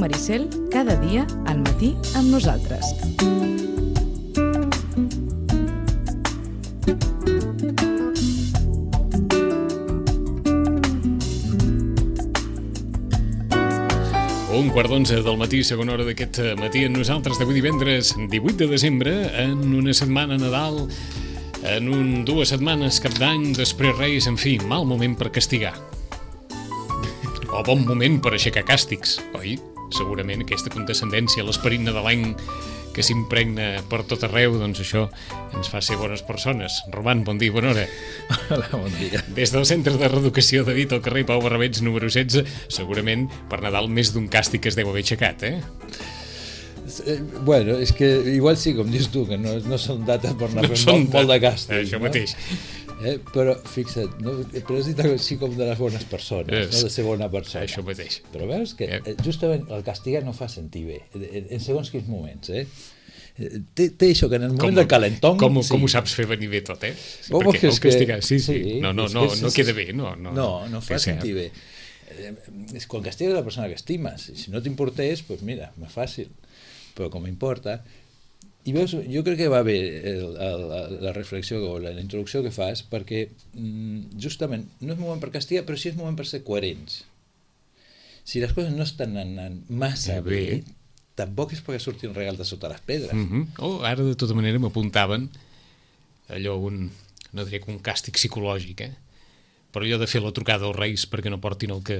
Maricel, cada dia al matí amb nosaltres. Un quart d'11 del matí, segona hora d'aquest matí amb nosaltres d'avui divendres 18 de desembre, en una setmana Nadal, en 2 setmanes Cap d'Any, després Reis, en fi, mal moment per castigar. O bon moment per aixecar càstigs, oi? Segurament aquesta condescendència, l'esperit nadalenc que s'impregna per tot arreu, doncs això ens fa ser bones persones. Roman, bon dia, bona hora. Hola, bon dia. Des del Centre de Reeducació de Dit al carrer Pau Barrabets, número 16, segurament per Nadal més d'un càstig es deu haver aixecat, eh? Bueno, és que igual sí, com dius tu, que no són dates per anar fent molt de càstig. Això mateix. Però fixa't, però has dit així com de les bones persones, no de ser bona persona. Això mateix. Però veus que justament el castigar no fa sentir bé, en segons quins moments, Té això que en el moment del calentón... Com ho saps fer venir bé tot, eh? Perquè el castigar... Sí. No queda bé, no. No fa sentir bé. Quan castigues la persona que estimes, si no t'importés, doncs mira, més fàcil. Però com importa... I veus, jo crec que va bé la reflexió o la introducció que fas, perquè justament no és moment per castigar, però sí és moment per ser coherents. Si les coses no estan anant massa bé, tampoc és perquè surti un regal de sota les pedres. Ara, de tota manera, m'apuntaven allò, no diré que un càstig psicològic, però allò de fer la trucada als Reis perquè no portin el que...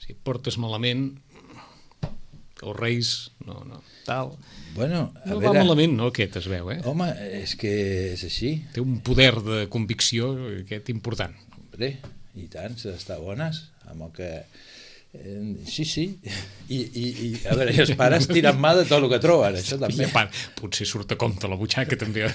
Si portes malament... els Reis, tal... Bueno, va malament, no, aquest es veu, Home, és que és així. Té un poder de convicció aquest important. Hombre, i tant, s'ha d'estar bones, amb el que... Sí. I a veure, els pares tiren mà de tot el que troben, això també. Potser surt a compte la butxaca, també.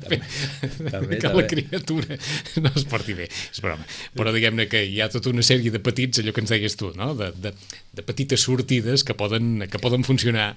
Que la criatura no es porti bé. És broma. Però diguem-ne que hi ha tota una sèrie de petits, allò que ens deies tu, no? De petites sortides que poden funcionar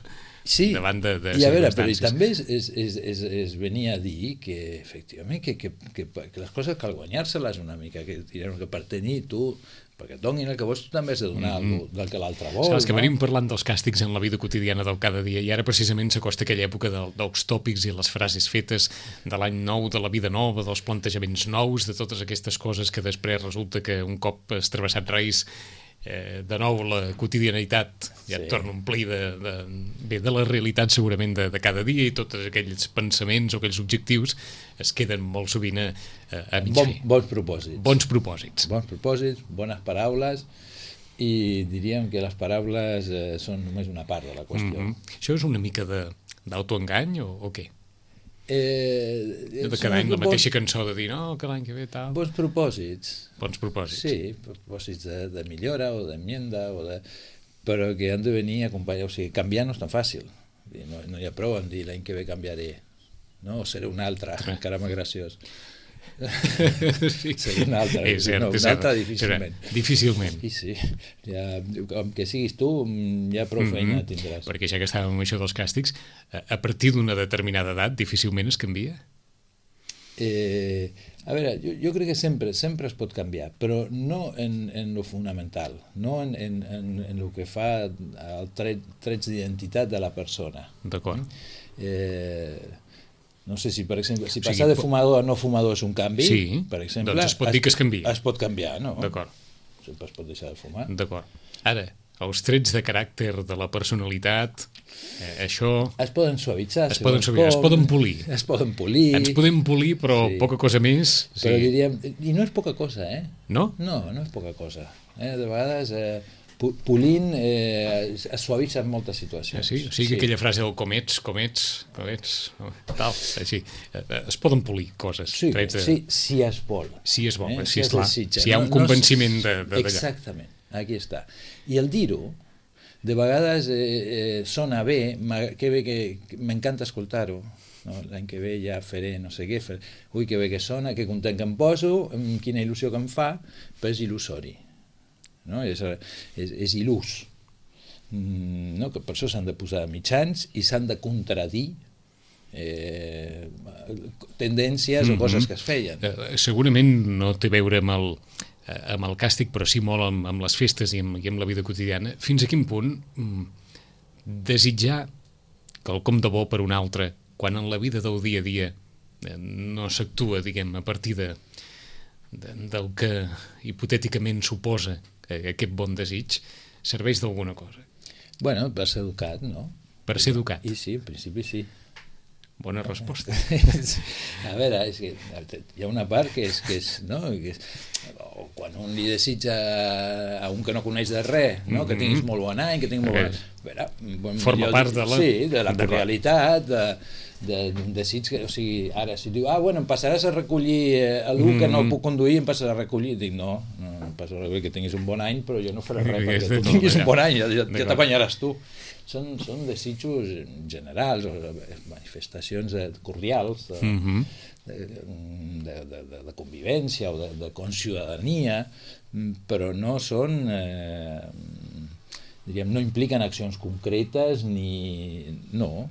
davant de circumstàncies. I a veure, però també es venia a dir que, efectivament, que les coses cal guanyar-se-les una mica, que per tenir tu... perquè et donin el que vols, tu també has de donar del que l'altre vol. És que venim parlant dels càstigs en la vida quotidiana del cada dia i ara precisament s'acosta aquella època dels tòpics i les frases fetes de l'any nou, de la vida nova, dels plantejaments nous, de totes aquestes coses que després resulta que un cop has travessat Reis de nou la quotidianitat ja et torna a omplir de la realitat segurament de cada dia i tots aquells pensaments o aquells objectius es queden molt sovint a mig fer. Bons propòsits. Bons propòsits, bones paraules i diríem que les paraules són només una part de la qüestió. Això és una mica d'autoengany o què? De cada any la mateixa cançó de dir no, que l'any que ve tal... Bons propòsits. Sí, propòsits de millora o d'enmienda, però que han de venir acompanyats. O sigui, canviar no és tan fàcil. No hi ha prou en dir l'any que ve canviaré, o seré un altre, encara més graciós. Seré un altre, un altre difícilment. Sí, com que siguis tu ja prou feina tindràs. Perquè ja que estàvem amb això dels càstigs, a partir d'una determinada edat difícilment es canvia? A veure, jo crec que sempre es pot canviar, però no en lo fonamental, no en el que fa el trets d'identitat de la persona. D'acord. No sé si, per exemple, si passar de fumador a no fumador és un canvi, per exemple... Doncs es pot dir que es canvia. Es pot canviar, no? D'acord. Sempre es pot deixar de fumar. D'acord. Ara, els trets de caràcter de la personalitat, això... Es poden suavitzar. Es poden polir. Es poden polir. Ens podem polir, però poca cosa més. Però diríem... I no és poca cosa, No? No és poca cosa. De vegades... polint es suavitza en moltes situacions. Sí? O sigui que aquella frase del comets, tal, així. Es poden polir coses. Sí, si es vol. Si es vol, si hi ha un convenciment d'allà. Exactament, aquí està. I el dir-ho, de vegades sona bé, que bé que m'encanta escoltar-ho, l'any que ve ja faré no sé què, ui que bé que sona, que content que em poso, quina il·lusió que em fa, però és il·lusori. És il·lús, que per això s'han de posar mitjans i s'han de contradir tendències o coses que es feien. Segurament no té a veure amb amb el càstig, però sí molt amb les festes i amb la vida quotidiana. Fins a quin punt desitjar quelcom de bo per un altre, quan en la vida del dia a dia no s'actua, diguem, a partir del que hipotèticament suposa aquest bon desig, serveix d'alguna cosa? Bueno, per ser educat, no? Per ser educat. I sí, en principi sí. Bona resposta. A veure, és que hi ha una part que és no? Quan un li desitja a un que no coneix de res, no? Que tinguis molt bon any, que tinguis molt bon... Veure, forma part de la... Sí, de la cordialitat, d'un desig que, o sigui, ara si diu, bueno, em passaràs a recollir algú que no puc conduir, em passaràs a recollir, dic, no em passaràs a recollir, que tinguis un bon any, però jo no faré res perquè tu tinguis un bon any, ja t'apanyaràs tu. Són desitjos generals, manifestacions cordials de convivència o de conciutadania, però no són... diríem, no impliquen accions concretes ni... No,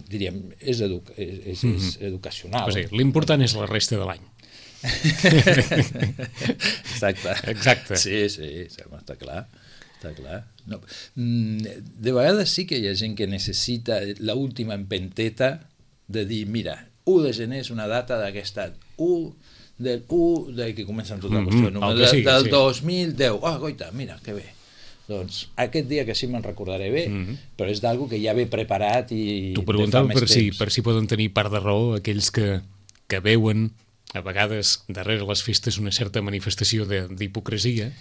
diríem, és educacional. O sigui, l'important és la resta de l'any. Exacte. Sí, està clar. Està clar. No. De vegades sí que hi ha gent que necessita l'última empenteta de dir, mira, 1 de gener és una data d'aquest any, 1 del que comença amb tota la qüestió, del 2010, goita, mira, que bé. Doncs aquest dia que sí me'n recordaré bé, però és d'algo que ja ve preparat i... T'ho preguntava per si poden tenir part de raó aquells que veuen a vegades darrere les festes una certa manifestació d'hipocresia.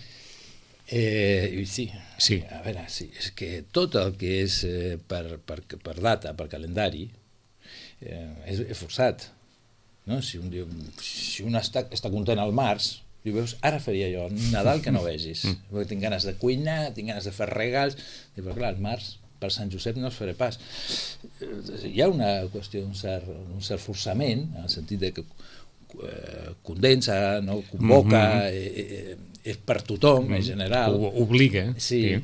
Sí. A veure, sí, és que tot el que és per data, per calendari, és forçat. No? Si un està content al març, i veus, ara faria jo Nadal que no vegis, perquè tinc ganes de cuinar, tinc ganes de fer regals, però clar, al març per Sant Josep no els faré pas. Hi ha una qüestió d'un cert forçament, en el sentit de que condensa, no? Convoca, és per tothom, en general. Obliga. Sí.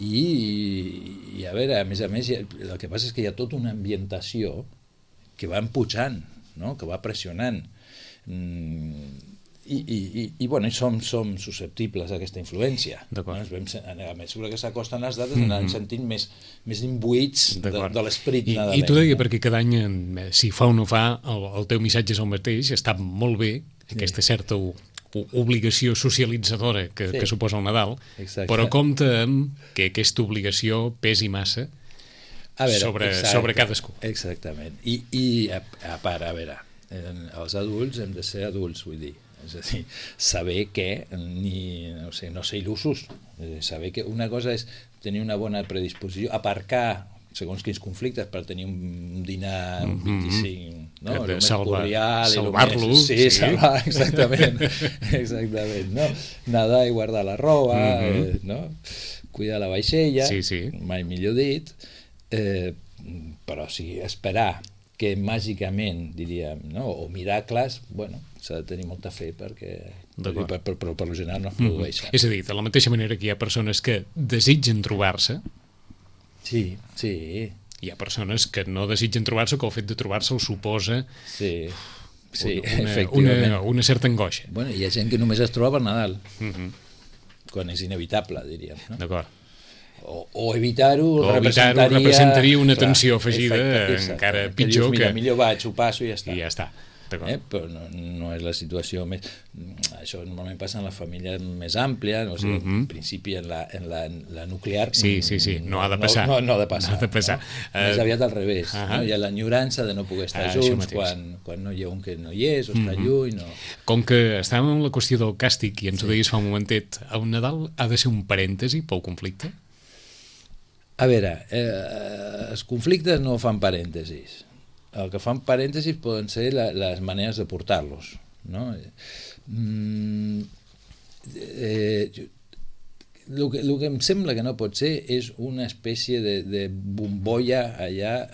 I a veure, a més, el que passa és que hi ha tota una ambientació que va empujant, no? Que va pressionant. I som susceptibles a aquesta influència. A mesura que s'acosten les dates anem sentint més imbuïts de l'esperit nadalenc. I t'ho deia perquè cada any, si fa o no fa, el teu missatge és el mateix, està molt bé, aquesta certa obligació socialitzadora que suposa el Nadal, però compta amb que aquesta obligació pesi massa sobre cadascú. Exactament. I a part, a veure, els adults hem de ser adults, vull dir, és a dir, saber que no ser il·lusos, saber que una cosa és tenir una bona predisposició, aparcar segons quins conflictes per tenir un dinar un 25, no? El més cordial, salvar-lo. Sí, salvar, exactament, no? Nedar i guardar la roba, no? Cuidar la vaixella, mai millor dit, però sí, esperar que màgicament, diríem, no? O miracles, bueno, s'ha de tenir molta fe perquè per lo general no es produeixen. És a dir, de la mateixa manera que hi ha persones que desitgen trobar-se, sí. Hi ha persones que no desitgen trobar-se, que el fet de trobar-se els suposa una certa angoixa. Bueno, hi ha gent que només es troba per Nadal, quan és inevitable, diríem. No? D'acord. O evitar-ho representaria una tensió afegida encara pitjor que... Mira, millor vaig, ho passo i ja està. I ja està. Però no és la situació més... Això normalment passa en la família més àmplia, no? O sigui, en principi en la nuclear... Sí, no ha de passar. No ha de passar. Més aviat al revés. No? Hi ha l'enyorança de no poder estar junts quan no hi ha un que no hi és o està lluny. Com que estàvem en la qüestió del càstig i ens ho deies fa un momentet, el Nadal ha de ser un parèntesi pel conflicte? A veure, els conflictes no fan parèntesis. El que fan parèntesis poden ser les maneres de portar-los, no? El que em sembla que no pot ser és una espècie de bombolla allà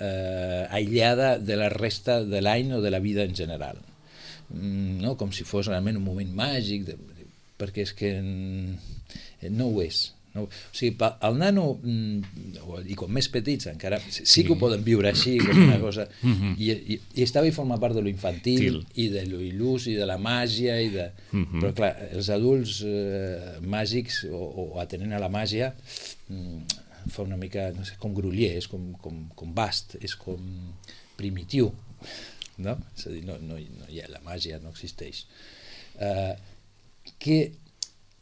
aïllada de la resta de l'any o de la vida en general, no? Com si fos realment un moment màgic, perquè és que no ho és. No? O sigui, el nano, i com més petits encara, sí que ho poden viure així, com una cosa, i està bé formar part de lo infantil, i de lo il·lús, i de la màgia, però clar, els adults màgics, o atenent a la màgia, fa una mica, no sé, com groller, és com vast, és com primitiu, no? És a dir, no hi ha la màgia, no existeix.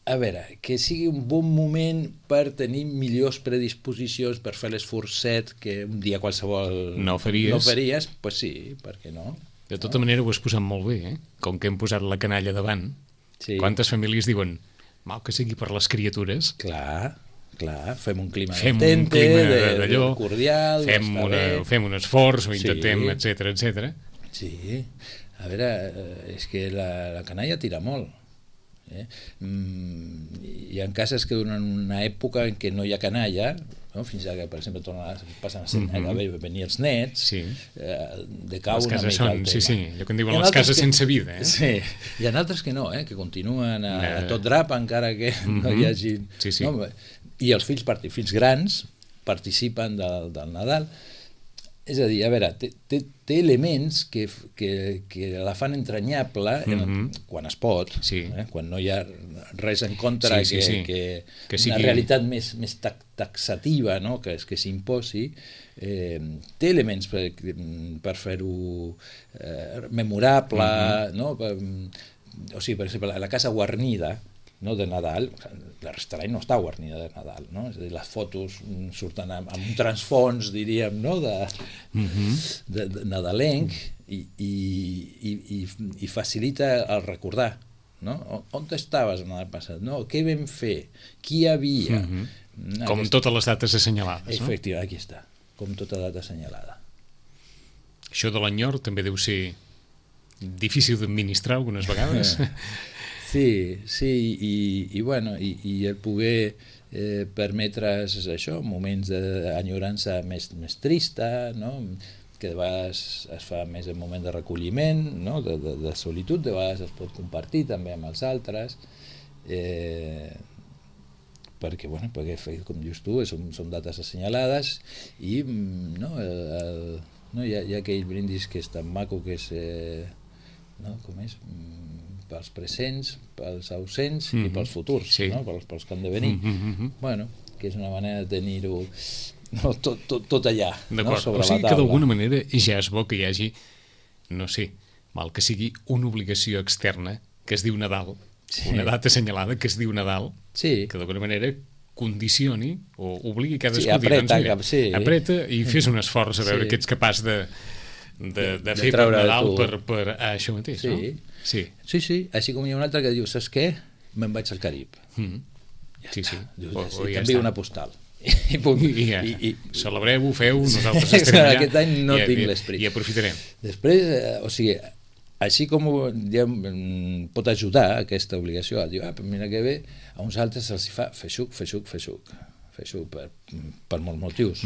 A veure, que sigui un bon moment per tenir millors predisposicions, per fer l'esforçet que un dia qualsevol no faries, pues sí, per què no? De tota manera ho has posat molt bé, eh? Com que hem posat la canalla davant, quantes famílies diuen, mal que sigui per les criatures. Clar, fem un clima cordial, fem un esforç, ho intentem, etc. Sí, a veure, és que la canalla tira molt. Hi ha cases que durant una època en què no hi ha canalla, no? Fins que, per exemple, passen a venir els nets, decau una mica el tema. Sí, allò que en diuen les cases sense vida. Sí, hi ha altres que no, que continuen a tot drap encara que no hi hagi... I els fills grans participen del Nadal. És a dir, a veure, té elements que la fan entranyable quan es pot, quan no hi ha res en contra que sigui una realitat més taxativa, que s'imposi. Té elements per fer-ho memorable, o sigui, per exemple, la casa guarnida de Nadal, la resta de l'any no està guarnida de Nadal, no? És a dir, les fotos surten amb un transfons, diríem, de nadalenc, i facilita el recordar, no? On estaves el Nadal passat? Què vam fer? Qui hi havia? Com totes les dates assenyalades, no? Efectivament, aquí està, com tota data assenyalada. Això de l'enyor també deu ser difícil d'administrar algunes vegades. Sí, i el poder permetre's això, moments d'enyorança més trista, que de vegades es fa més en moment de recolliment, de solitud, de vegades es pot compartir també amb els altres, perquè, com dius tu, són dates assenyalades, i hi ha aquell brindis que és tan maco, que és... com és? Pels presents, pels ausents i pels futurs, pels que han de venir. Que és una manera de tenir-ho tot allà, sobre la taula. O sigui que d'alguna manera ja és bo que hi hagi, no sé, mal que sigui una obligació externa que es diu Nadal, una data assenyalada que es diu Nadal, que d'alguna manera condicioni o obligui cadascú a dir, apreta i fes un esforç a veure que ets capaç de fer per Nadal per això mateix, no? Sí, així com hi ha un altre que diu, saps què? Me'n vaig al Carib. T'envio una postal. I celebreu-ho, feu, nosaltres estarem allà. Aquest any no tinc l'esperit. I aprofitarem. Després, o sigui, així com pot ajudar aquesta obligació a dir, mira que bé, a uns altres se'ls fa feixuc per molts motius.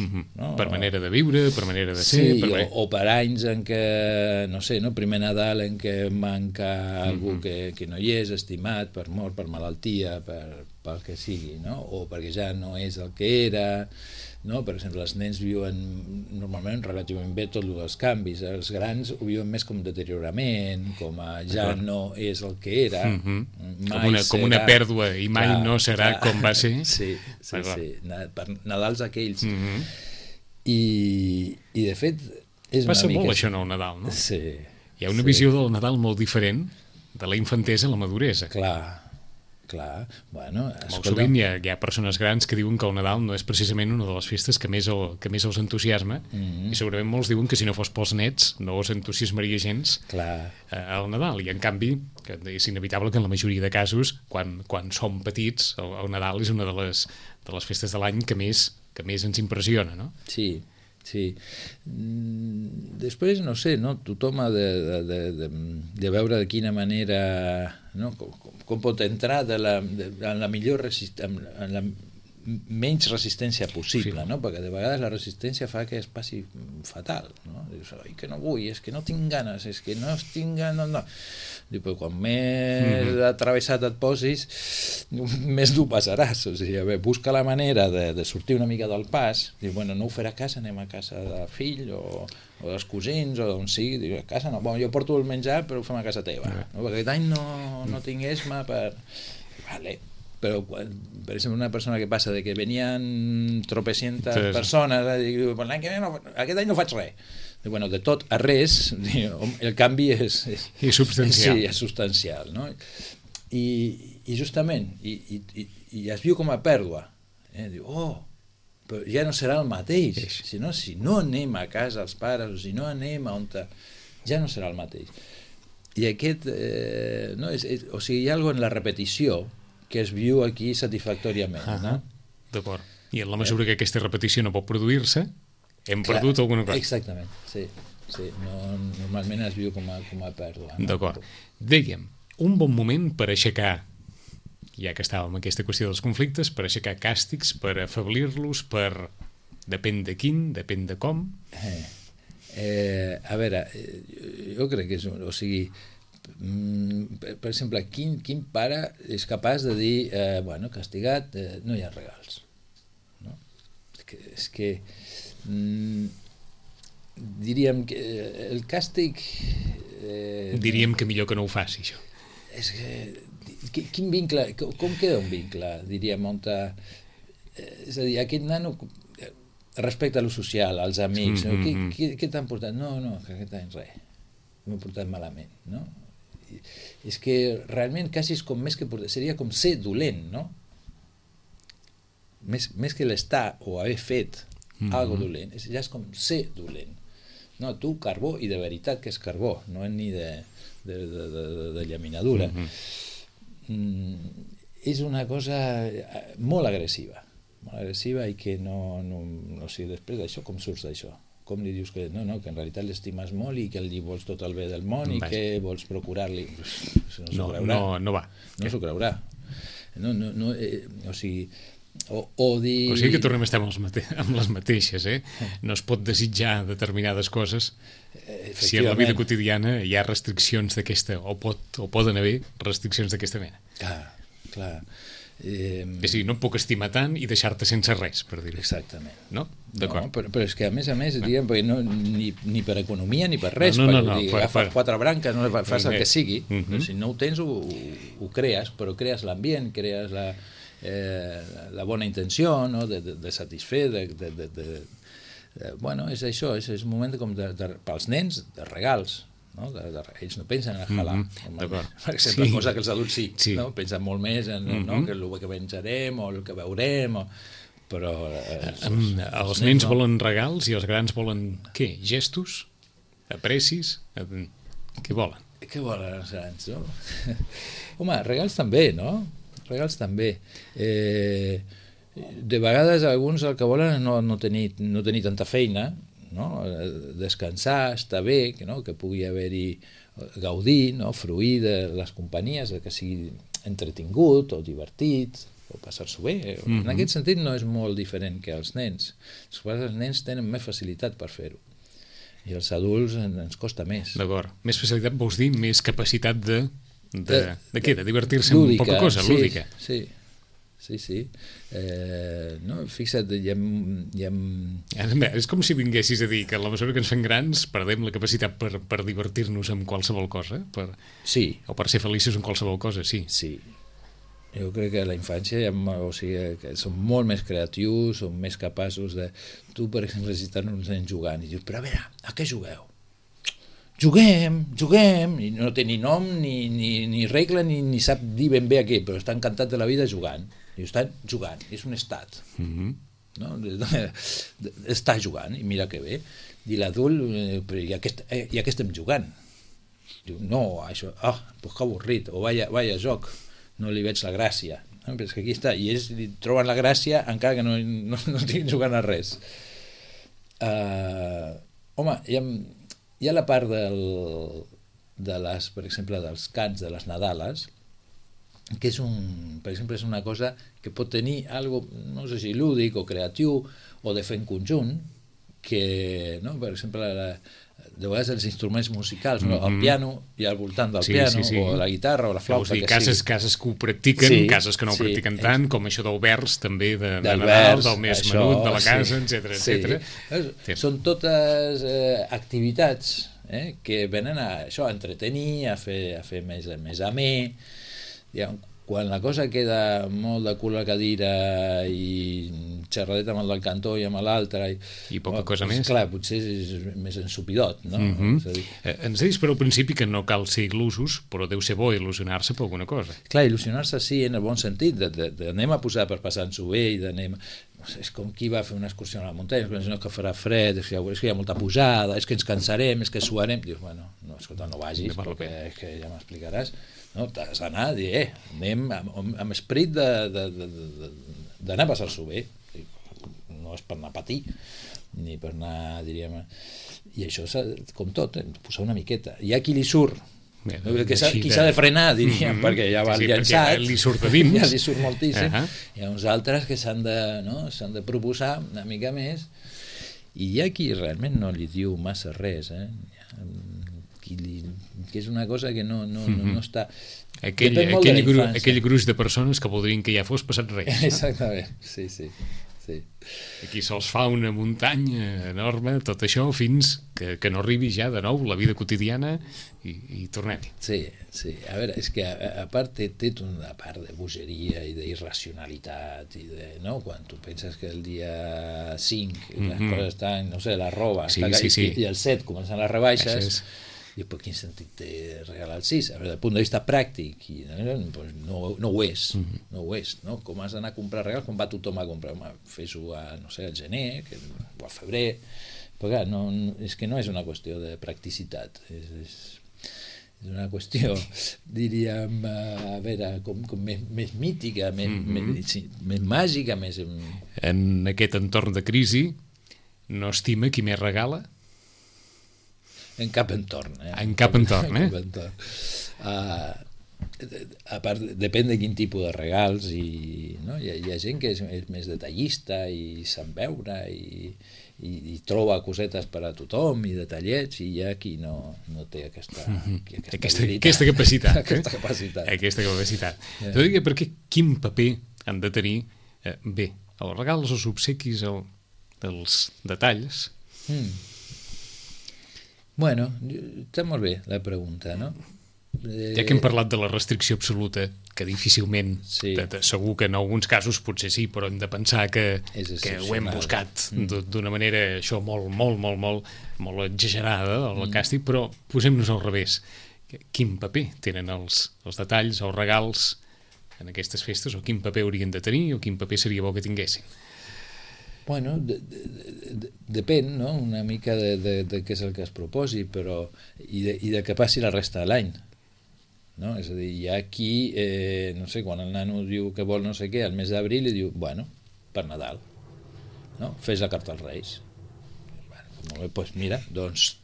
Per manera de viure, per manera de ser... O per anys en què, no sé, primer Nadal en què manca algú que no hi és, estimat, per mort, per malaltia, pel que sigui, o perquè ja no és el que era... Per exemple, els nens viuen normalment relativament bé tot els canvis, els grans ho viuen més com deteriorament, com ja no és el que era, com una pèrdua i mai no serà com va ser. Sí, per Nadals aquells. I de fet és una mica... Passa molt això en el Nadal, no? Sí. Hi ha una visió del Nadal molt diferent de la infantesa a la maduresa. Clar, molt sovint hi ha persones grans que diuen que el Nadal no és precisament una de les festes que més els entusiasma, i segurament molts diuen que si no fos pels nets no els entusiasmaria gens el Nadal, i en canvi és inevitable que en la majoria de casos quan som petits el Nadal és una de les festes de l'any que més ens impressiona, no? Sí. Després, no sé, tothom ha de veure de quina manera, com pot entrar en la millor en la menys resistència possible, perquè de vegades la resistència fa que es passi fatal, dius, que no vull, és que no tinc ganes, és que no estic ganes, Diu, però quan més atravessat et posis, més dur passaràs. O sigui, a veure, busca la manera de sortir una mica del pas. Diu, bueno, no ho farà a casa, anem a casa del fill o dels cosins o d'on sigui. Diu, a casa no, bueno, jo porto el menjar però ho fem a casa teva. No? Perquè aquest any no tinc esma per... Vale. Però, per exemple, una persona que passa de que venien tropecientes persones i diu, l'any que ve aquest any no faig res. Bueno, de tot a res, el canvi és substancial. Sí, és substancial, no? I justament, i es viu com a pèrdua. Diu, però ja no serà el mateix. Si no anem a casa els pares, o si no anem a on... Ja no serà el mateix. I aquest... o sigui, hi ha alguna cosa en la repetició que es viu aquí satisfactòriament. No? D'acord. I en la mesura que aquesta repetició no pot produir-se, hem perdut alguna cosa. Exactament, sí. Normalment es viu com a pèrdua. No? D'acord. Dèiem, un bon moment per aixecar, ja que estàvem en aquesta qüestió dels conflictes, per aixecar càstigs, per afeblir-los, per... Depèn de quin, depèn de com... A veure, jo crec que és... O sigui, per exemple, quin pare és capaç de dir bueno, castigat, no hi ha regals, no? És que diríem que el càstig diríem que millor que no ho faci, això. És que quin vincle, com queda un vincle, diríem, on és a dir, aquest nano respecte a lo social, als amics, no? Què t'han portat? No, que aquest any res, m'ho he portat malament, no? És que realment quasi és com més que seria com ser dolent, no? Més que l'estar o haver fet algo dolent, ja és com ser dolent. No, tu carbó, i de veritat que és carbó, no és ni de llaminadura. És una cosa molt agressiva i que no sé, després d'això, com surts d'això? Com li dius que no, que en realitat l'estimes molt i que li vols tot el bé del món i que vols procurar-li... No va. No s'ho creurà. O sigui... O sigui que tornem a estar amb les mateixes, No es pot desitjar determinades coses si en la vida quotidiana hi ha restriccions d'aquesta, o poden haver restriccions d'aquesta mena. Clar. És a dir, no em puc estimar tant i deixar-te sense res, per dir-ho. Exactament. No? D'acord. No, però és que a més, diguem, ni per economia ni per res, agafes 4 branques, no fas el que sigui, si no ho tens ho crees, però crees l'ambient, crees la bona intenció, no? de satisfer, bueno, és això, és un moment com pels nens de regals, no? Ells no pensen en el halà, per exemple, cosa que els adults sí. No? Pensen molt més en que el que menjarem o el que veurem, però els nens volen regals i els grans volen què? Gestos? Aprecis? Què volen? Què volen els grans, no? Home, regals també, no? Regals també. De vegades alguns el que volen és no tenir tanta feina, no? Descansar, estar bé, que pugui haver-hi gaudir, no? Fruir de les companyies, que sigui entretingut o divertit o passar-s'ho bé. En aquest sentit no és molt diferent que els nens. Els nens tenen més facilitat per fer-ho i els adults ens costa més. D'acord. Més facilitat vols dir més capacitat de què? De divertir-se amb poca cosa, lúdica. Sí. No, fixa't, és com si vinguessis a dir que a la mesura que ens fem grans perdem la capacitat per divertir-nos amb qualsevol cosa, o per ser feliços amb qualsevol cosa, sí. Jo crec que a la infància que són molt més creatius, són més capaços de... Tu, per exemple, si estan uns nens jugant i dius, però a veure, a què jugueu? Juguem, i no té ni nom, ni regla, ni sap dir ben bé a què, però està encantat de la vida jugant. I estan jugant, és un estat. No? Està jugant, i mira que bé. I l'adult, però i a què estem jugant? Diu, no, això, pues que avorrit, o vaya joc, no li veig la gràcia. No? Però és que aquí està, i ells li troben la gràcia encara que no estiguin jugant a res. Home, hi ha la part per exemple, dels cants de les Nadales, que per exemple, és una cosa que pot tenir algo, no sé si lúdic o creatiu o de fer en conjunt, que, no? Per exemple, de vegades els instruments musicals, no? El piano i al voltant del piano, o la guitarra o la flauta, dir, cases que ho practiquen, cases que no ho practiquen tant, com això del vers també, de Nadal, del més menut de la casa, etc. Són totes activitats que venen a això, a entretenir, a fer més amè. Quan la cosa queda molt de cul a cadira i xerradeta amb el del cantó i amb l'altre i poca cosa més, clar, potser és més ensupidot, no? Ens deies per al principi que no cal ser il·lusos, però deu ser bo il·lusionar-se per alguna cosa. Clar, il·lusionar-se sí, en el bon sentit, d'anem a posar per passar-nos-ho bé i d'anem... És com qui va fer una excursió a la muntanya, que farà fred, és que hi ha molta pujada, és que ens cansarem, és que suarem. Dius, bueno, escolta, no vagis, perquè és que ja m'explicaràs. No, t'has d'anar a dir, anem amb esperit d'anar a passar-s'ho bé. No és per anar a patir, ni per anar, diríem... I això, com tot, posar una miqueta. Hi ha qui li surt, qui s'ha de frenar, diríem, perquè ja va llançat, li surt de dins, ja li surt moltíssim. Hi ha uns altres que s'han de proposar una mica més, i hi ha qui realment no li diu massa res, que és una cosa que no està... Aquell gruix de persones que voldrien que ja fos passat res. Exactament, sí. Aquí se'ls fa una muntanya enorme, tot això, fins que no arribi ja de nou la vida quotidiana i tornem-hi. Sí, a veure, és que a part té una part de bogeria i d'irracionalitat, quan tu penses que el dia 5 les coses estan, no sé, la roba, i el 7 comencen les rebaixes, i per quin sentit té regalar el 6? A veure, del punt de vista pràctic, no ho és, no? Com has d'anar a comprar regals, com va tothom a comprar? Fes-ho al gener, o al febrer, però clar, és que no és una qüestió de practicitat, és una qüestió, diríem, a veure, com més mítica, més màgica, més... En aquest entorn de crisi, no estima qui més regala? En cap entorn. En cap entorn, a part, depèn de quin tipus de regals, hi ha gent que és més detallista i se'n veure i troba cosetes per a tothom i detallets, i hi ha qui no té aquesta capacitat. Aquesta capacitat. Jo diria, perquè quin paper han de tenir els regals, els obsequis, els detalls? Bueno, està molt bé la pregunta, no? Ja que hem parlat de la restricció absoluta, que difícilment, segur que en alguns casos potser sí, però hem de pensar que ho hem buscat d'una manera això molt exagerada, el càstig, però posem-nos al revés. Quin paper tenen els detalls, els regals en aquestes festes, o quin paper haurien de tenir, o quin paper seria bo que tinguessin? Bueno, depèn, no?, una mica de què és el que es proposi, però i de què passi la resta de l'any, no? És a dir, hi ha qui, no sé, quan el nano diu que vol no sé què, al mes d'abril, li diu, bueno, per Nadal, no? Fes la carta als Reis. Molt bé, doncs mira,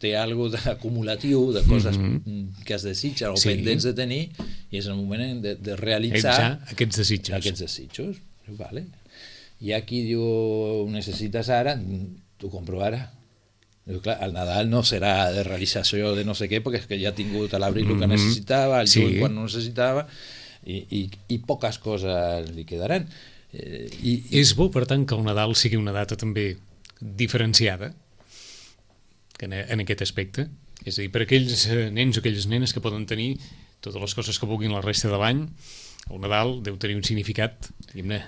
té alguna cosa acumulatiu de coses que es desitgen o pendents de tenir, i és el moment de realitzar aquests desitjos. Vale. Hi ha qui diu, ho necessites ara, t'ho compro ara. Diu, clar, el Nadal no serà de realització de no sé què, perquè és que ja ha tingut a l'abril el que necessitava, al juny quan no necessitava, i poques coses li quedaran. És bo, per tant, que el Nadal sigui una data també diferenciada en aquest aspecte? És a dir, per aquells nens o aquelles nenes que poden tenir totes les coses que vulguin la resta de l'any, el Nadal deu tenir un significat, diguem-ne,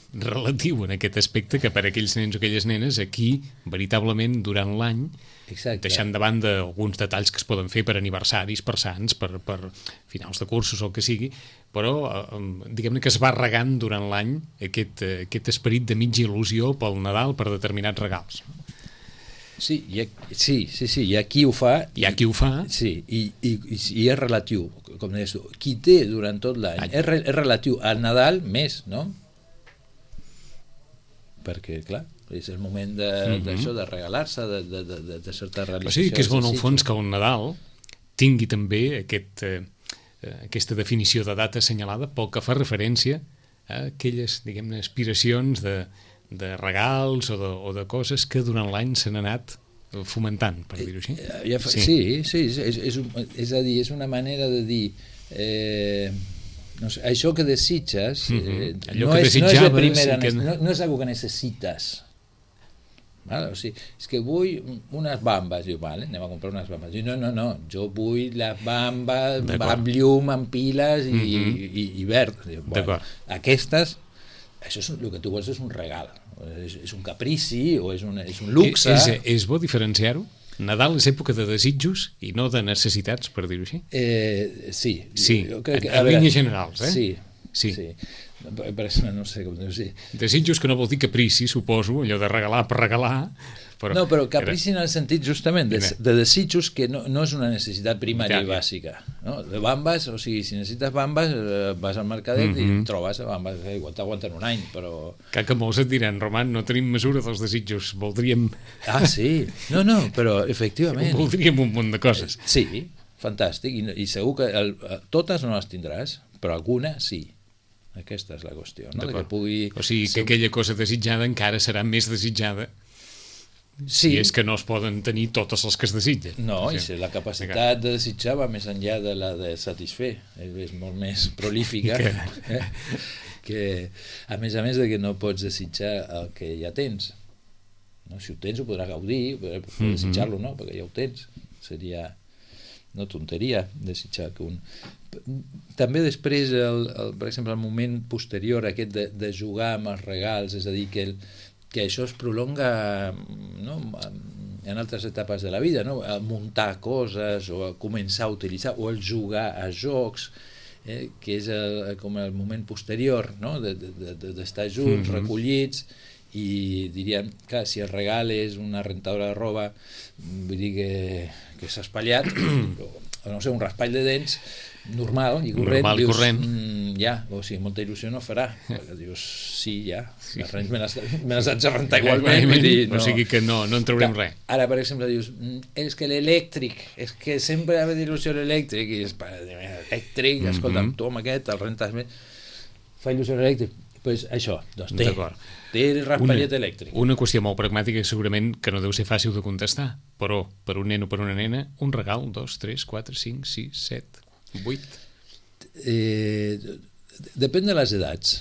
relatiu en aquest aspecte, que per a aquells nens o aquelles nenes aquí, veritablement, durant l'any, deixant de banda alguns detalls que es poden fer per aniversaris, per sants, per finals de cursos o el que sigui, però diguem-ne que es va regant durant l'any aquest esperit de mitja il·lusió pel Nadal, per determinats regals. Sí, hi ha qui ho fa. Sí, i és relatiu, com deies tu. Qui té durant tot l'any és relatiu al Nadal més, no? Perquè, clar, és el moment d'això, de regalar-se, de certa realització. O sigui que és bon, al fons, que el Nadal tingui també aquesta definició de data assenyalada pel que fa referència a aquelles, diguem-ne, aspiracions de regals o de coses que durant l'any s'han anat fomentant, per dir-ho així. Sí, és a dir, és una manera de dir no sé, això que desitges no és de primera, no és algo que necessites. Vale? O sigui, és que vull unes bambes. Diu, vale, anem a comprar unes bambes. Diu, no, jo vull les bambes amb llum, amb piles i verd. Diu, bueno, aquestes, això és, el que tu vols és un regal, és un caprici o és un luxe. És bo diferenciar-ho? Nadal és època de desitjos i no de necessitats, per dir-ho així? Sí. En línies generals, Sí. Per exemple, no sé com dir-ho. Desitjos que no vol dir caprici, suposo, allò de regalar per regalar. No, però caprici en el sentit justament de desitjos que no és una necessitat primària i bàsica. No? De bambes, o sigui, si necessites bambes, vas al mercadet i trobes bambes, igual t'aguanten un any, però... Que molts et diran, Roman, no tenim mesura dels desitjos, voldríem... Ah, sí? No, però efectivament... Voldríem un munt de coses. Sí, fantàstic, i segur que totes no les tindràs, però alguna sí. Aquesta és la qüestió, no? O sigui, que aquella cosa desitjada encara serà més desitjada si és que no es poden tenir totes les que es desitgen. No, i si la capacitat de desitjar va més enllà de la de satisfer, és molt més prolífica, que a més de que no pots desitjar el que ja tens. Si ho tens ho podràs gaudir, però desitjar-lo no, perquè ja ho tens. Seria no tonteria desitjar que un... També després, per exemple, el moment posterior aquest de jugar amb els regals, és a dir, que això es prolonga en altres etapes de la vida, no? A muntar coses o a començar a utilitzar o el jugar a jocs, que és com el moment posterior, no? D'estar junts, recollits, i diríem que si el regal és una rentadora de roba, vull dir que s'ha espatllat, o no sé, un raspall de dents normal i corrent, o sigui, molta il·lusió no farà, perquè dius, les rents me les haig de rentar igualment, o sigui que no en traurem res. Ara, per exemple, dius, és que l'elèctric, és que sempre ha d'il·lusió l'elèctric, i elèctric, escolta'm, tu amb aquest el rentes més, fa il·lusió l'elèctric, doncs això, té el raspallet elèctric. Una qüestió molt pragmàtica segurament que no deu ser fàcil de contestar, però per un nen o per una nena, un regal, 2, 3, 4, 5, 6, 7, 8... Depèn de les edats.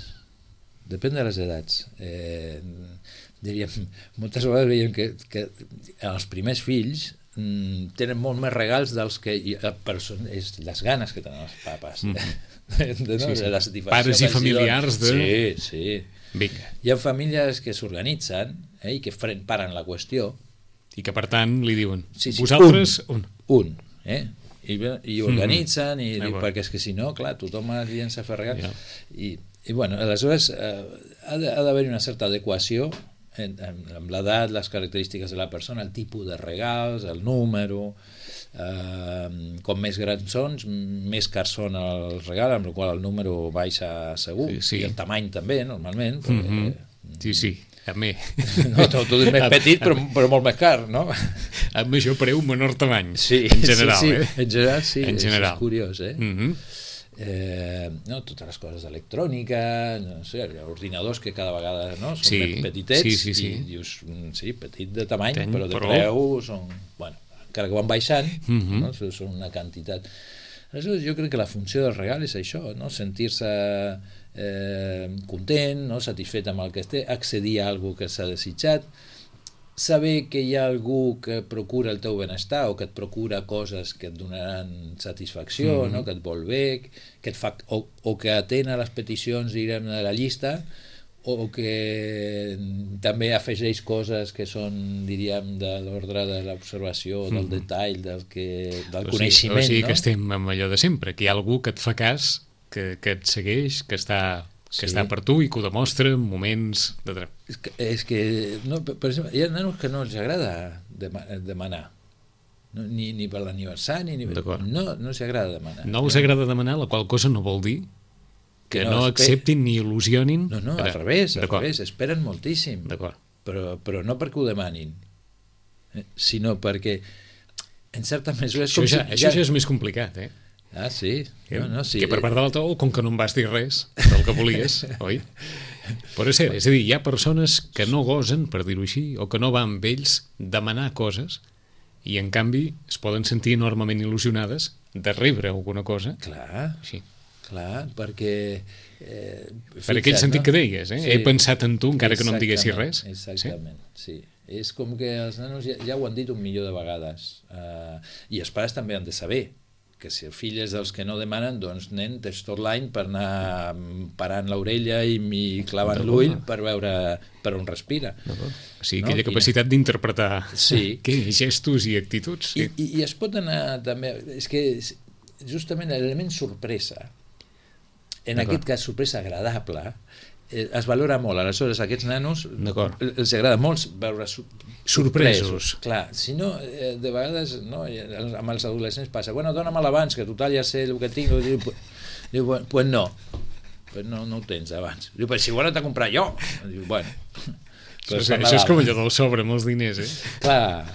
Diríem, moltes vegades veiem que els primers fills tenen molt més regals dels que és les ganes que tenen els papes de la satisfacció. Pares i familiars de... Sí. Vinga. Hi ha famílies que s'organitzen i que paren la qüestió i que per tant li diuen vosaltres un i organitzen perquè és que si no, clar, tothom es llença a fer regals i bueno, aleshores ha d'haver-hi una certa adequació amb l'edat, les característiques de la persona, el tipus de regals, el número, com més grans són, més cars són els regals, amb el qual el número baixa segur, i el tamany també, normalment. Sí, a mi. No, tot és més petit, però molt més car, no? A major preu, menor tamany, en general. En general, sí, és curiós, no, totes les coses d'electrònica, no sé, ordinadors que cada vegada són més petitets i dius, petit de tamany, però de preu són, bueno, encara que van baixant, són una quantitat. Aleshores, jo crec que la funció del regal és això, sentir-se content, satisfet amb el que té, accedir a alguna que s'ha desitjat, saber que hi ha algú que procura el teu benestar o que et procura coses que et donaran satisfacció, que et vol bé, que et fa, o que atén a les peticions, diguem, de la llista, o que també afegeix coses que són, diríem, de l'ordre de l'observació, del detall, del coneixement. O sigui que estem amb allò de sempre, que hi ha algú que et fa cas, que et segueix, que està per tu i que ho demostra en moments de... És que, per exemple, hi ha nanos que no els agrada demanar, ni per l'aniversari, no els agrada demanar. No els agrada demanar, la qual cosa no vol dir que no acceptin ni il·lusionin. No, al revés, esperen moltíssim, però no perquè ho demanin, sinó perquè en certa mesura... Això ja és més complicat, Ah, sí? Sí. Que per part de l'altre, com que no em vas dir res del que volies, oi? Però és cert, és a dir, hi ha persones que no gosen, per dir-ho així, o que no van amb ells demanar coses i en canvi es poden sentir enormement il·lusionades de rebre alguna cosa. Clar, Sí. clar, perquè... Per aquell sentit que deies, He pensat en tu encara que no em diguessis res. Exactament, sí. És com que els nanos ja ho han dit 1.000.000 de vegades. I els pares també han de saber que si el fill és dels que no demanen, doncs nen, tens tot l'any per anar parant l'orella i clavant l'ull per veure per on respira. O sigui, aquella capacitat d'interpretar gestos i actituds. Sí. I es pot anar també... És que justament l'element sorpresa, en aquest cas sorpresa agradable, es valora molt. Aleshores, a aquests nanos els agrada molt veure sorpresos. Clar, si no, de vegades amb els adolescents passa, bueno, dóna'm l'abans, que total ja sé el que tinc. Diu, pues no ho tens abans. Diu, però si ho he anat a comprar jo. Diu, bueno... Això és com allò del sobre amb els diners, Clar.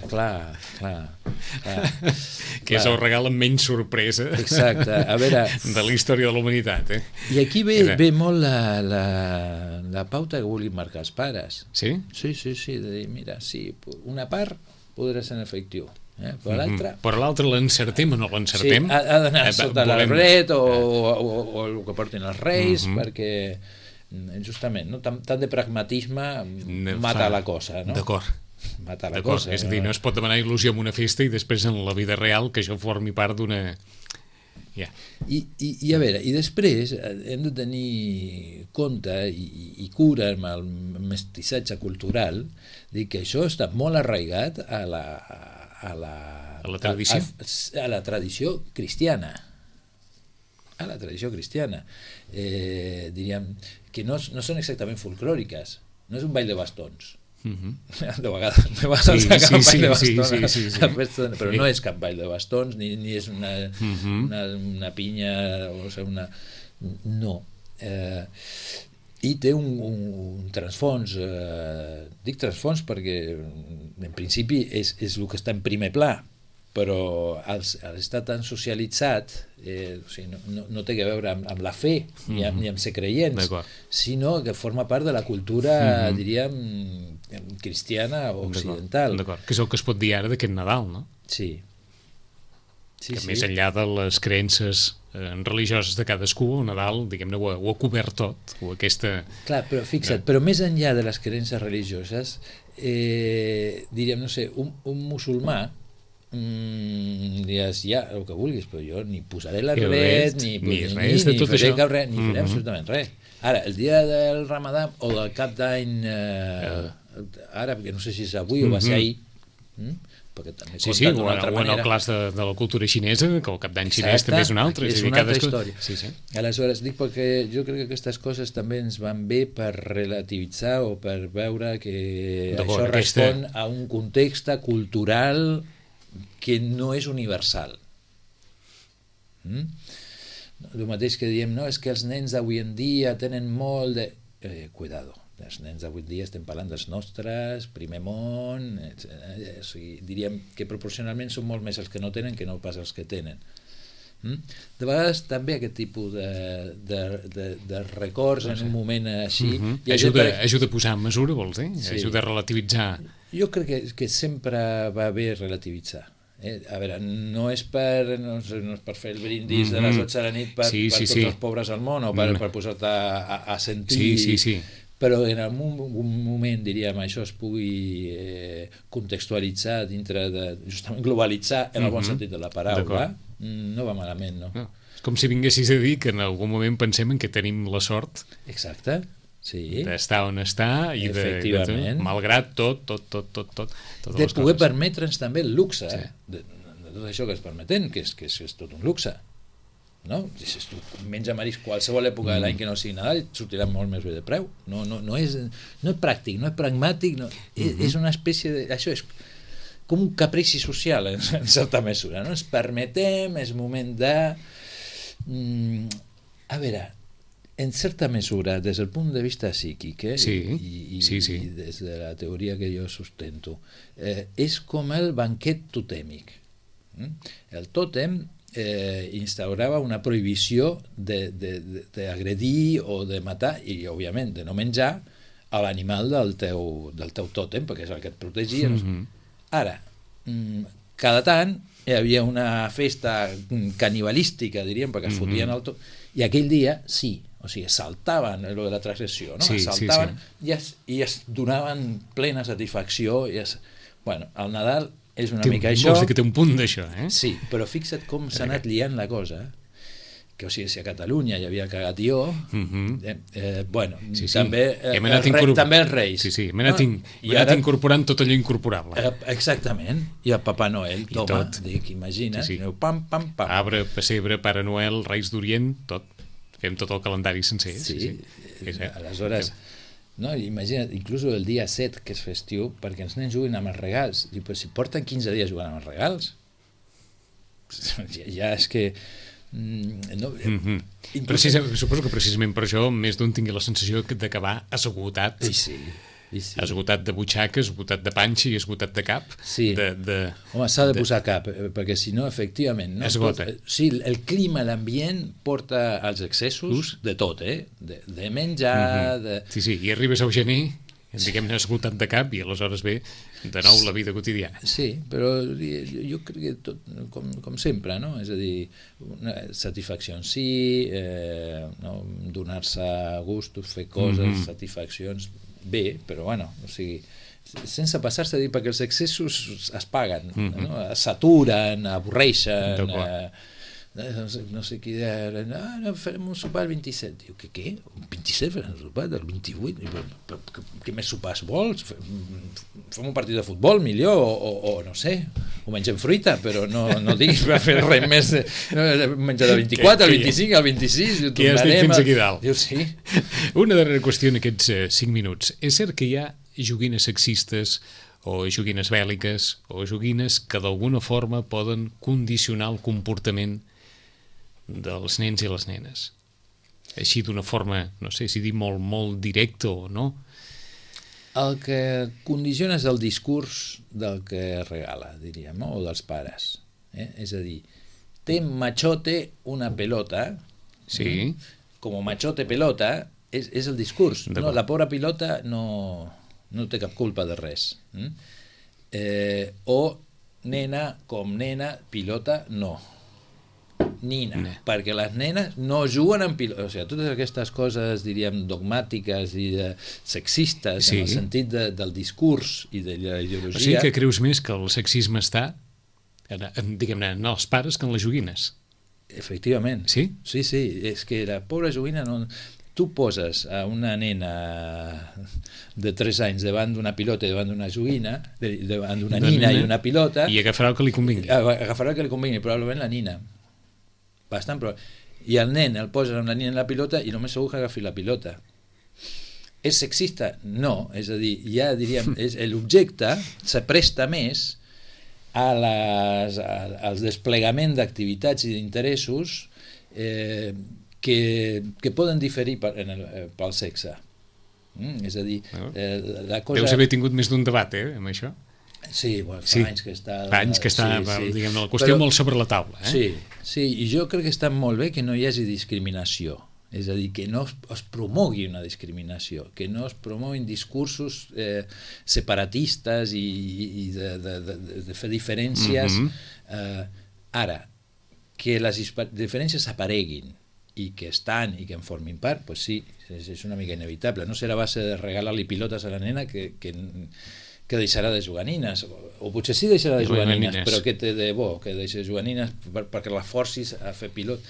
Que és el regal amb menys sorpresa. Exacte, a veure... de la història de la humanitat, I aquí ve molt la pauta que vulguin marcar els pares. Sí? Sí, de dir, mira, sí, una part podrà ser en efectiu, però l'altra... Però l'altre l'encertem o no l'encertem? Sí, ha d'anar sota l'arbret o el que portin els reis, perquè... justament, no? Tant de pragmatisme mata la cosa, no? D'acord. Mata la cosa. És a dir, no es pot demanar il·lusió en una festa i després en la vida real que això formi part d'una... I a veure, i després hem de tenir compte i cura amb el mestissatge cultural, dir que això està molt arraigat a la tradició. A la tradició cristiana. A la tradició cristiana. Diríem que no són exactament folclòriques, no és un ball de bastons. De vegades acaba un ball de bastons, però no és cap ball de bastons, ni és una pinya, o sigui, no. I té un transfons, dic transfons perquè en principi és el que està en primer pla, però al estar tan socialitzat, o sigui, no té a veure amb la fe ni amb ser creients, sinó que forma part de la cultura, diríem, cristiana o occidental. D'acord, que és el que es pot dir ara d'aquest Nadal, no? Sí. Que més enllà de les creences religioses de cadascú, el Nadal, diguem-ne, ho ha cobert tot, o aquesta... Clar, però fixa't, però més enllà de les creences religioses, diríem, no sé, un musulmà diràs, ja, el que vulguis, però jo ni posaré l'arbret, ni faré cap res, ni faré absolutament res. Ara, el dia del Ramadà o del cap d'any, ara, perquè no sé si és avui o va ser ahir, perquè també compten d'una altra manera. O en el clas de la cultura xinesa, que el cap d'any xinès també és una altra. És una altra història. Aleshores, dic perquè jo crec que aquestes coses també ens van bé per relativitzar o per veure que això respon a un context cultural que no és universal. El mateix que diem, no, és que els nens d'avui en dia tenen molt de... Cuidado, els nens d'avui en dia estem parlant dels nostres, primer món, o sigui, diríem que proporcionalment són molt més els que no tenen que no pas els que tenen. De vegades també aquest tipus de records en un moment així... Ajuda a posar en mesura, vols dir? Ajuda a relativitzar. Jo crec que sempre va bé relativitzar. A veure, no és per fer el brindis de les 12 de la nit per tots els pobres al món o per posar-te a sentir, però en algun moment, diríem, això es pugui contextualitzar dintre de, justament globalitzar en el bon sentit de la paraula, no va malament, no? És com si vinguessis a dir que en algun moment pensem en que tenim la sort d'estar on està i malgrat tot de poder permetre'ns també el luxe de tot això que es permeten, que és tot un luxe, no? Si tu menja marisc qualsevol època de l'any que no sigui Nadal sortirà molt més bé de preu. No és pràctic, no és pragmàtic, és una espècie de... Això és com un caprici social en certa mesura, no? Ens permetem, és moment de... A veure, en certa mesura, des del punt de vista psíquic i des de la teoria que jo sustento, és com el banquet totèmic. El tòtem instaurava una prohibició d'agredir o de matar i, òbviament, de no menjar a l'animal del teu tòtem, perquè és el que et protegia. Ara, cada tant hi havia una festa canibalística, diríem, perquè es fotien el tot, i aquell dia sí, o sigui, saltaven lo de la transgressió, no? Saltaven i es donaven plena satisfacció. Bueno, el Nadal és una mica això. Vols dir que té un punt d'això, eh? Sí, però fixa't com s'ha anat liant la cosa, que, o sigui, si a Catalunya hi havia cagatió, bueno, també els Reis. Sí, hem anat incorporant tot allò incorporable. Exactament, i el Papà Noel, toma, dic, imagina't, pam, pam, pam. Arbre, pessebre, Pare Noel, Reis d'Orient, tot. Fem tot el calendari sencer. Sí. Aleshores, no, imagina't, inclús el dia 7, que és festiu, perquè els nens juguen amb els regals. Diu, però si porten 15 dies jugant amb els regals, ja és que... No, suposo que precisament per això més d'un tingui la sensació d'acabar esgotat. Sí. Esgotat de butxaca, esgotat de panxa i esgotat de cap. Sí. Home, s'ha de posar cap, perquè si no, efectivament... Esgota. Sí, el clima, l'ambient porta als excessos de tot, de menjar... Sí, i arribes al gener, diguem-ne, esgotat de cap, i aleshores ve de nou la vida quotidiana. Sí, però jo crec que tot, com sempre, no? És a dir, una satisfacció en si, donar-se gustos, fer coses, satisfaccions... bé, però bueno, o sigui, sense passar-se a dir, perquè els excessos es paguen, no? S'aturen, avorreixen, no sé qui deia, no, farem un sopar el 27. Diu, què? Un 27 farem un sopar? Del 28? Què més sopars vols? Fem un partit de futbol, millor, o no sé, o mengem fruita, però no diguis per fer res més, menjar del 24, el 25, el 26, que ja estic fins aquí dalt. Diu, sí. Una darrera qüestió en aquests 5 minuts. És cert que hi ha joguines sexistes o joguines bèl·liques o joguines que d'alguna forma poden condicionar el comportament dels nens i les nenes, així d'una forma, no sé si dir molt directa o no? El que condiciona és el discurs del que regala, diríem, o dels pares, és a dir, té machote una pelota, sí. Com machote pelota és el discurs, no? La pobra pilota no té cap culpa de res, o nena com nena, pilota no, nina, perquè les nenes no juguen amb pilota, o sigui, totes aquestes coses, diríem, dogmàtiques i sexistes, en el sentit del discurs i de la ideologia. O sigui que creus més que el sexisme està, diguem-ne, en els pares que en les joguines? Efectivament. Sí? Sí, és que la pobra joguina no... Tu poses a una nena de 3 anys davant d'una pilota i davant d'una joguina, davant d'una nina i una pilota... I agafarà el que li convingui. Agafarà el que li convingui, probablement la nina. Bastant, però... I el nen el poses amb la nina en la pilota i només segur que agafi la pilota. És sexista? No. És a dir, ja diríem, l'objecte s'apresta més als desplegament d'activitats i d'interessos que poden diferir pel sexe. És a dir, la cosa... Deus haver tingut més d'un debat, amb això? Sí, fa anys que està... Fa anys que està, diguem, la qüestió molt sobre la taula. Sí, i jo crec que està molt bé que no hi hagi discriminació. És a dir, que no es promogui una discriminació, que no es promoguin discursos separatistes i de fer diferències. Ara, que les diferències apareguin i que estan i que en formin part, doncs sí, és una mica inevitable. No serà a base de regalar-li pilotes a la nena que deixarà de jugar a nines, o potser sí deixarà de jugar a nines, però què té de bo que deixi de jugar a nines perquè la forcis a fer pilot,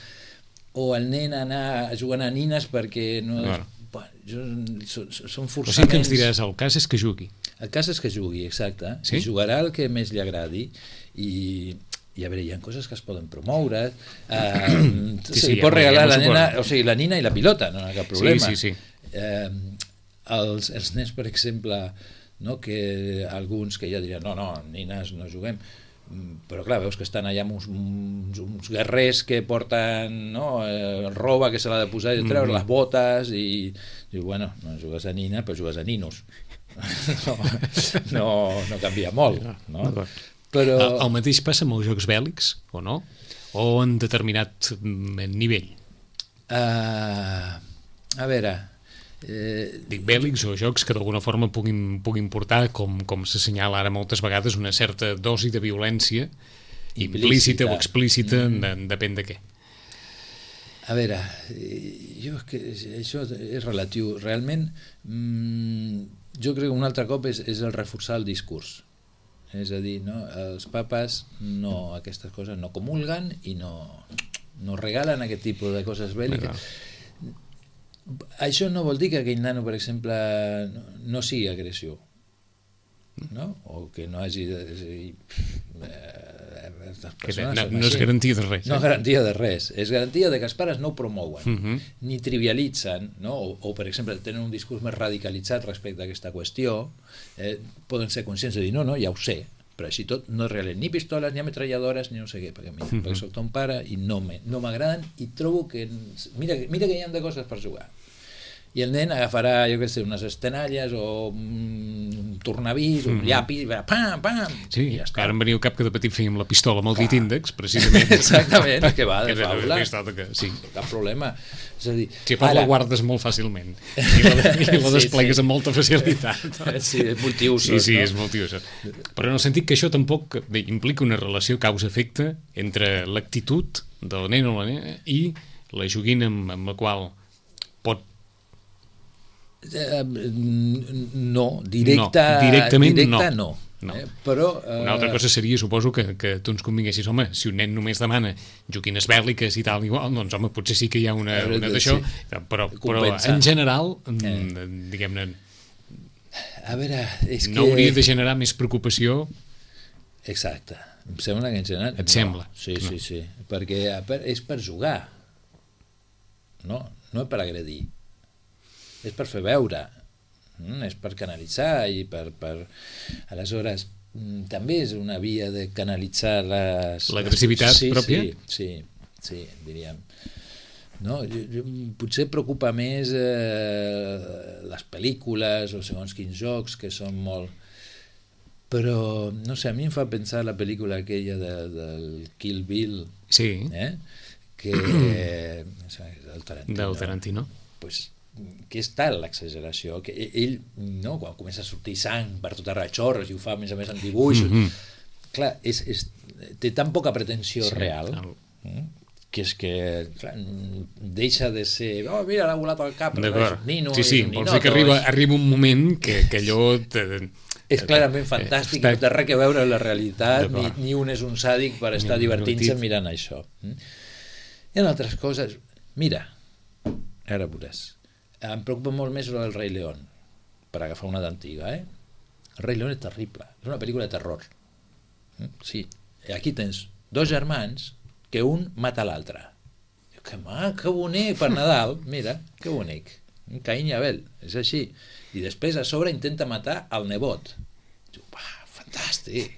o el nen anar jugant a nines perquè no... Són forçaments... O sigui que ens diràs, el cas és que jugui. El cas és que jugui, exacte. Sí? Jugarà el que més li agradi i a veure, hi ha coses que es poden promoure, se li pot regalar a la nena, o sigui, la nina i la pilota, no hi ha cap problema. Sí. Els nens, per exemple, no, que alguns que ja dirien no, nines no juguem, però clar, veus que estan allà amb uns guerrers que porten roba que se l'ha de posar i de treure les botes i diu, bueno, no jugues a nina però jugues a ninos. No canvia molt, no? Però... El mateix passa amb els jocs bèl·lics, o no? o en determinat nivell? A veure... Dic bèl·lics o jocs que d'alguna forma puguin portar, com s'assenyala ara moltes vegades, una certa dosi de violència implícita o explícita, depèn de què. A veure, jo és que això és relatiu. Realment, jo crec que un altre cop és el reforçar el discurs. És a dir, no, els papes aquestes coses no comulguen i no regalen aquest tipus de coses bèl·liques. Això no vol dir que aquell nano, per exemple, no sigui agressiu, no? O que no hagi de... No és garantia de res. No és garantia de res. És garantia de que els pares no ho promouen, ni trivialitzen, no? O, per exemple, tenen un discurs més radicalitzat respecte a aquesta qüestió, poden ser conscients de dir, no, ja ho sé, però així tot no regalen ni pistoles, ni ametralladores, ni no sé què, perquè soc ton pare i no m'agraden i trobo que... Mira que hi ha de coses per jugar. I el nen agafarà, jo què sé, unes estenalles o un tornavís, un llapis, pam, pam, sí, i ja està. Ara em venia al cap que de petit fèiem la pistola amb el dit índex, precisament. Exactament, que va de faula. Sí. Cap problema. És a dir, sí, però la guardes molt fàcilment i la desplegues amb molta facilitat. Sí, és multiusos. Sí, és multiusos. Però en el sentit que això tampoc implica una relació causa-efecte entre l'actitud del nen o la nena i la joguina amb la qual pot... No, directament no. Però, una altra cosa seria, suposo, que tu ens convinguessis, home, si un nen només demana joguines bèl·liques i tal, igual, doncs home, potser sí que hi ha una d'això, però en general, diguem-ne, a veure, és que... no hauria de generar més preocupació. Exacte, em sembla que en general... Et sembla? Sí, perquè és per jugar, no és per agredir. És per fer veure, és per canalitzar i per... Aleshores, també és una via de canalitzar l'agressivitat pròpia? Sí, diríem. No? Potser preocupa més les pel·lícules o segons quins jocs, que són molt... Però, no sé, a mi em fa pensar la pel·lícula aquella del Kill Bill, que... del Tarantino. Pues, que és tal l'exageració que ell, no, quan comença a sortir sang per tot arreu, xorres, i ho fa a més en dibuixos, clar, té tan poca pretensió real que és que clar, deixa de ser mira, l'ha volat al cap, d'acord, nino, sí, vols dir que arriba un moment que allò és clarament fantàstic, no té res a veure amb la realitat, ni un és un sàdic per estar divertint-se mirant això. Hi ha altres coses, mira, ara veuràs. Em preocupa molt més el Rei León, per agafar una d'antiga, El Rei León és terrible, és una pel·lícula de terror. Sí, aquí tens dos germans que un mata l'altre. Que mac, que bonic, per Nadal, mira, que bonic. Caín i Abel, és així. I després a sobre intenta matar el nebot. Fantàstic,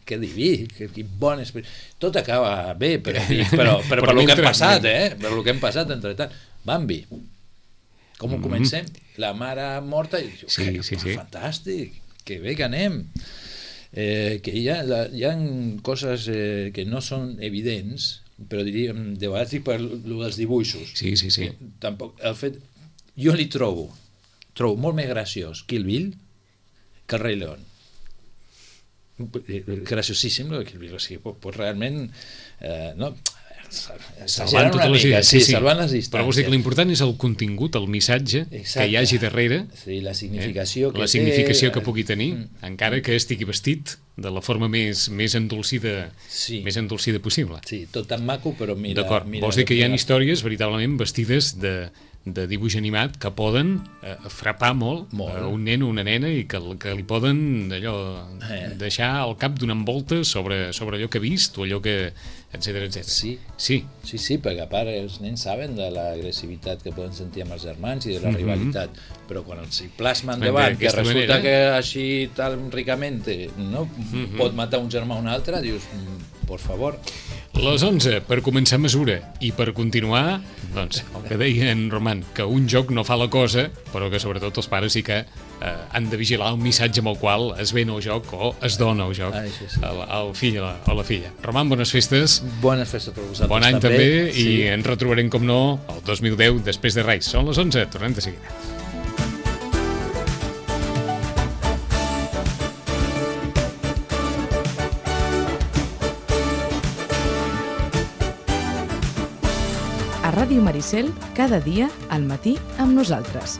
que diví, que bon esperit. Tot acaba bé, però per el que hem passat, per el que hem passat entre tant. Bambi. Com ho comencem? La mare morta i diu, fantàstic, que bé que anem. Que hi ha coses que no són evidents, però diríem, de vegades dic per dels dibuixos. Sí. Tampoc, el fet, jo li trobo molt més graciós Kill Bill que el Rei León. Graciosíssim el Kill Bill, o sigui, pues realment no... salvant totes les distàncies, salvant les distàncies. Però vols dir que l'important és el contingut, el missatge que hi hagi darrere, la significació que pugui tenir, encara que estigui vestit de la forma més endolcida possible. Sí, tot tan maco, però mira... D'acord, vols dir que hi ha històries veritablement vestides de dibuix animat que poden frapar molt a un nen o una nena i que li poden deixar el cap donant voltes sobre allò que ha vist o allò que... etcètera. Sí, perquè a part els nens saben de l'agressivitat que poden sentir amb els germans i de la rivalitat, però quan els hi plasmen davant que resulta que així tan ricamente no pot matar un germà o un altre, dius, por favor. Les 11, per començar mesura, i per continuar, doncs, el que deia en Roman, que un joc no fa la cosa, però que sobretot els pares sí que han de vigilar un missatge amb el qual es ven el joc o es dona el joc al fill o la filla. Roman, bones festes. Bones festes per vosaltres. Bon any també i ens retrobarem, com no, el 2010 després de Reis. Són les 11, tornem de seguida. A Ràdio Maricel, cada dia al matí amb nosaltres.